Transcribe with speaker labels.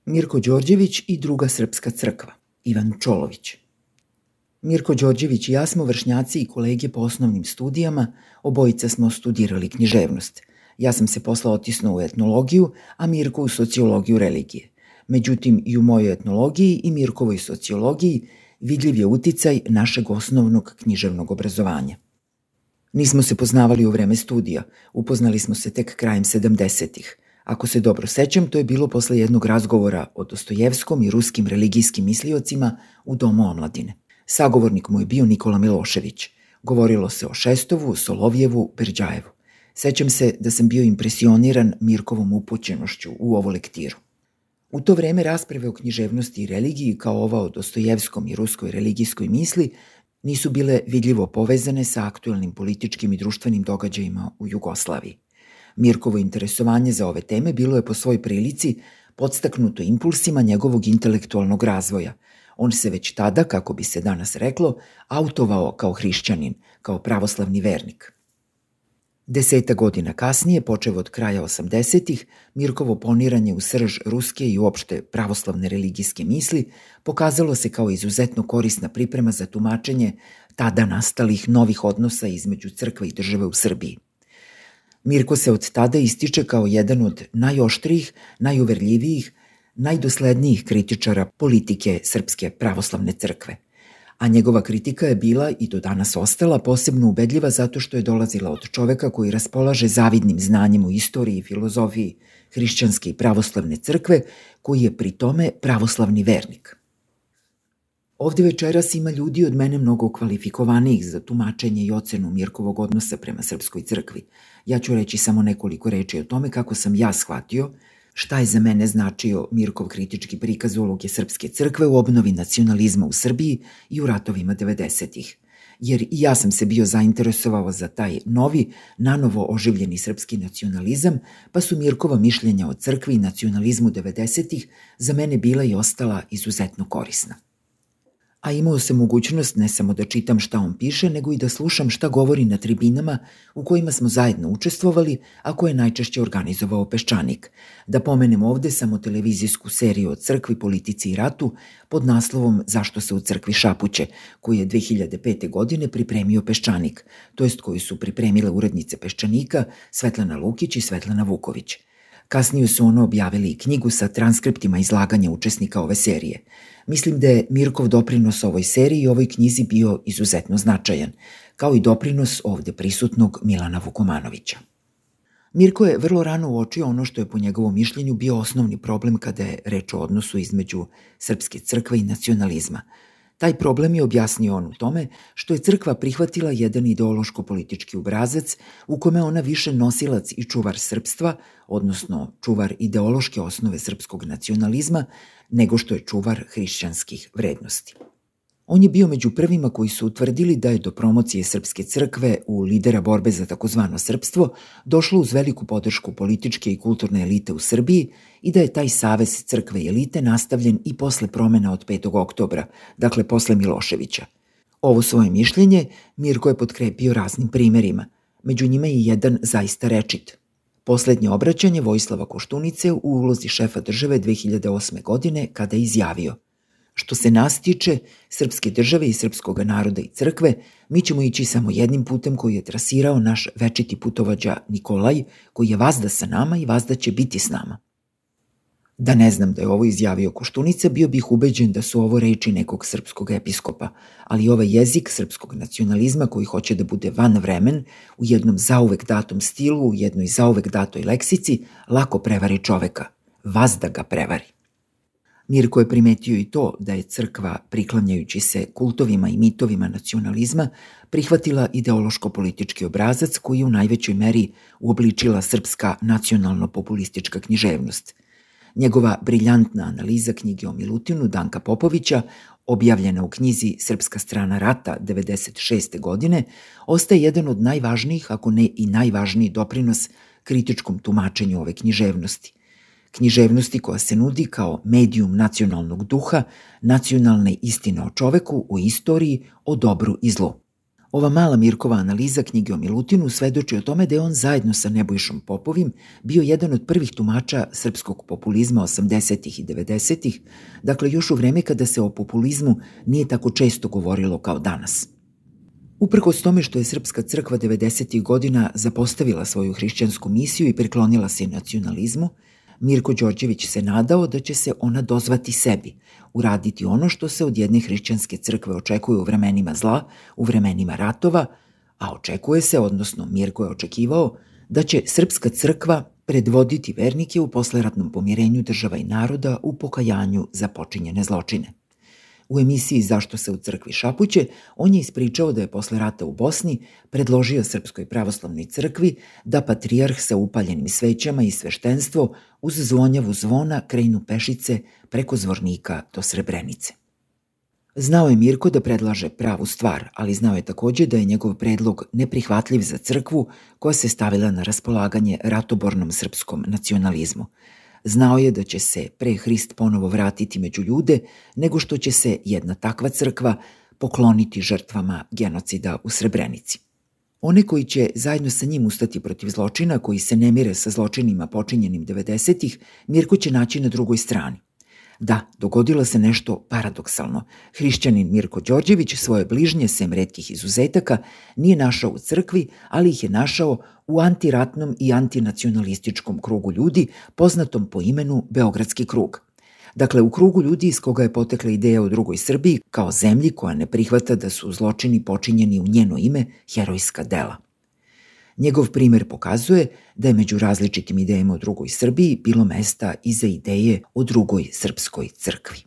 Speaker 1: Mirko Đorđević i druga srpska crkva, Ivan Čolović. Mirko Đorđević i ja smo vršnjaci i kolege po osnovnim studijama, obojica smo studirali književnost. Ja sam se posle otisnuo u etnologiju, a Mirko u sociologiju religije. Međutim, i u mojoj etnologiji i Mirkovoj sociologiji vidljiv je uticaj našeg osnovnog književnog obrazovanja. Nismo se poznavali u vreme studija, upoznali smo se tek krajem 70-ih. Ako se dobro sećam, to je bilo posle jednog razgovora o Dostojevskom i ruskim religijskim misliocima u Domu omladine. Sagovornik mu je bio Nikola Milošević. Govorilo se o Šestovu, Solovjevu, Berđajevu. Sećam se da sam bio impresioniran Mirkovom upućenošću u ovu lektiru. U to vreme rasprave o književnosti i religiji, kao ova o Dostojevskom i ruskoj religijskoj misli, nisu bile vidljivo povezane sa aktuelnim političkim i društvenim događajima u Jugoslaviji. Mirkovo interesovanje za ove teme bilo je po svoj prilici podstaknuto impulsima njegovog intelektualnog razvoja. On se već tada, kako bi se danas reklo, autovao kao hrišćanin, kao pravoslavni vernik. 10 godina kasnije, počev od kraja 80-ih, Mirkovo poniranje u srž ruske i uopšte pravoslavne religijske misli pokazalo se kao izuzetno korisna priprema za tumačenje tada nastalih novih odnosa između crkve i države u Srbiji. Mirko se od tada ističe kao jedan od najoštrijih, najuverljivijih, najdoslednijih kritičara politike Srpske pravoslavne crkve. A njegova kritika je bila i do danas ostala posebno ubedljiva zato što je dolazila od čoveka koji raspolaže zavidnim znanjem u istoriji i filozofiji hrišćanske i pravoslavne crkve, koji je pri tome pravoslavni vernik. Ovde večeras ima ljudi od mene mnogo kvalifikovanijih za tumačenje i ocenu Mirkovog odnosa prema Srpskoj crkvi. Ja ću reći samo nekoliko reči o tome kako sam ja shvatio šta je za mene značio Mirkov kritički prikaz uloge Srpske crkve u obnovi nacionalizma u Srbiji i u ratovima 90-ih. Jer i ja sam se bio zainteresovao za taj novi, nanovo oživljeni srpski nacionalizam, pa su Mirkova mišljenja o crkvi i nacionalizmu 90-ih za mene bila i ostala izuzetno korisna. A imao sam mogućnost ne samo da čitam šta on piše, nego i da slušam šta govori na tribinama u kojima smo zajedno učestvovali, a koje je najčešće organizovao Peščanik. Da pomenem ovde samo televizijsku seriju o crkvi, politici i ratu pod naslovom Zašto se u crkvi šapuće, koju je 2005. godine pripremio Peščanik, to jest koju su pripremile urednice Peščanika Svetlana Lukić i Svetlana Vuković. Kasnije su ono objavili i knjigu sa transkriptima izlaganja učesnika ove serije. Mislim da je Mirkov doprinos ovoj seriji i ovoj knjizi bio izuzetno značajan, kao i doprinos ovde prisutnog Milana Vukomanovića. Mirko je vrlo rano uočio ono što je po njegovom mišljenju bio osnovni problem kada je reč o odnosu između Srpske crkve i nacionalizma. Taj problem je objasnio on u tome što je crkva prihvatila jedan ideološko-politički obrazac u kome ona više nosilac i čuvar srpstva, odnosno čuvar ideološke osnove srpskog nacionalizma, nego što je čuvar hrišćanskih vrednosti. On je bio među prvima koji su utvrdili da je do promocije Srpske crkve u lidera borbe za takozvano srpstvo došlo uz veliku podršku političke i kulturne elite u Srbiji i da je taj savez crkve i elite nastavljen i posle promena od 5. oktobra, dakle posle Miloševića. Ovo svoje mišljenje Mirko je potkrepio raznim primerima, među njima je jedan zaista rečit. Poslednje obraćanje Vojislava Koštunice u ulozi šefa države 2008. godine kada je izjavio: što se nas tiče, srpske države i srpskog naroda i crkve, mi ćemo ići samo jednim putem koji je trasirao naš večiti putovođa Nikolaj, koji je vazda sa nama i vazda će biti s nama. Da ne znam da je ovo izjavio Koštunica, bio bih ubeđen da su ovo reči nekog srpskog episkopa, ali ovaj jezik srpskog nacionalizma koji hoće da bude van vremen, u jednom zauvek datom stilu, u jednoj zauvek datoj leksici, lako prevari čoveka. Vazda ga prevari. Mirko je primetio i to da je crkva, priklanjajući se kultovima i mitovima nacionalizma, prihvatila ideološko-politički obrazac koji je u najvećoj meri uobličila srpska nacionalno-populistička književnost. Njegova briljantna analiza knjige o Milutinu Danka Popovića, objavljena u knjizi Srpska strana rata 96. godine, ostaje jedan od najvažnijih, ako ne i najvažniji doprinos kritičkom tumačenju ove književnosti. Književnosti koja se nudi kao medijum nacionalnog duha, nacionalne istine o čoveku, o istoriji, o dobru i zlu. Ova mala Mirkova analiza knjige o Milutinu svedoči o tome da je on zajedno sa Nebojšom Popovim bio jedan od prvih tumača srpskog populizma 80. i 90. Dakle još u vreme kada se o populizmu nije tako često govorilo kao danas. Uprkos tome što je Srpska crkva 90. godina zapostavila svoju hrišćansku misiju i priklonila se nacionalizmu, Mirko Đorđević se nadao da će se ona dozvati sebi, uraditi ono što se od jedne hrišćanske crkve očekuje u vremenima zla, u vremenima ratova, a očekuje se, odnosno Mirko je očekivao, da će Srpska crkva predvoditi vernike u posleratnom pomirenju država i naroda u pokajanju za počinjene zločine. U emisiji Zašto se u crkvi šapuće, on je ispričao da je posle rata u Bosni predložio Srpskoj pravoslavnoj crkvi da patrijarh sa upaljenim svećama i sveštenstvo uz zvonjavu zvona krenu pešice preko Zvornika do Srebrenice. Znao je Mirko da predlaže pravu stvar, ali znao je takođe da je njegov predlog neprihvatljiv za crkvu koja se stavila na raspolaganje ratobornom srpskom nacionalizmu. Znao je da će se pre Hrist ponovo vratiti među ljude, nego što će se jedna takva crkva pokloniti žrtvama genocida u Srebrenici. One koji će zajedno sa njim ustati protiv zločina, koji se ne mire sa zločinima počinjenim 90-ih, Mirko će naći na drugoj strani. Da, dogodilo se nešto paradoksalno. Hrišćanin Mirko Đorđević svoje bližnje, sem retkih izuzetaka, nije našao u crkvi, ali ih je našao u antiratnom i antinacionalističkom krugu ljudi, poznatom po imenu Beogradski krug. Dakle, u krugu ljudi iz koga je potekla ideja o drugoj Srbiji kao zemlji koja ne prihvata da su zločini počinjeni u njeno ime herojska dela. Njegov primer pokazuje da je među različitim idejama o drugoj Srbiji bilo mesta i za ideje o drugoj srpskoj crkvi.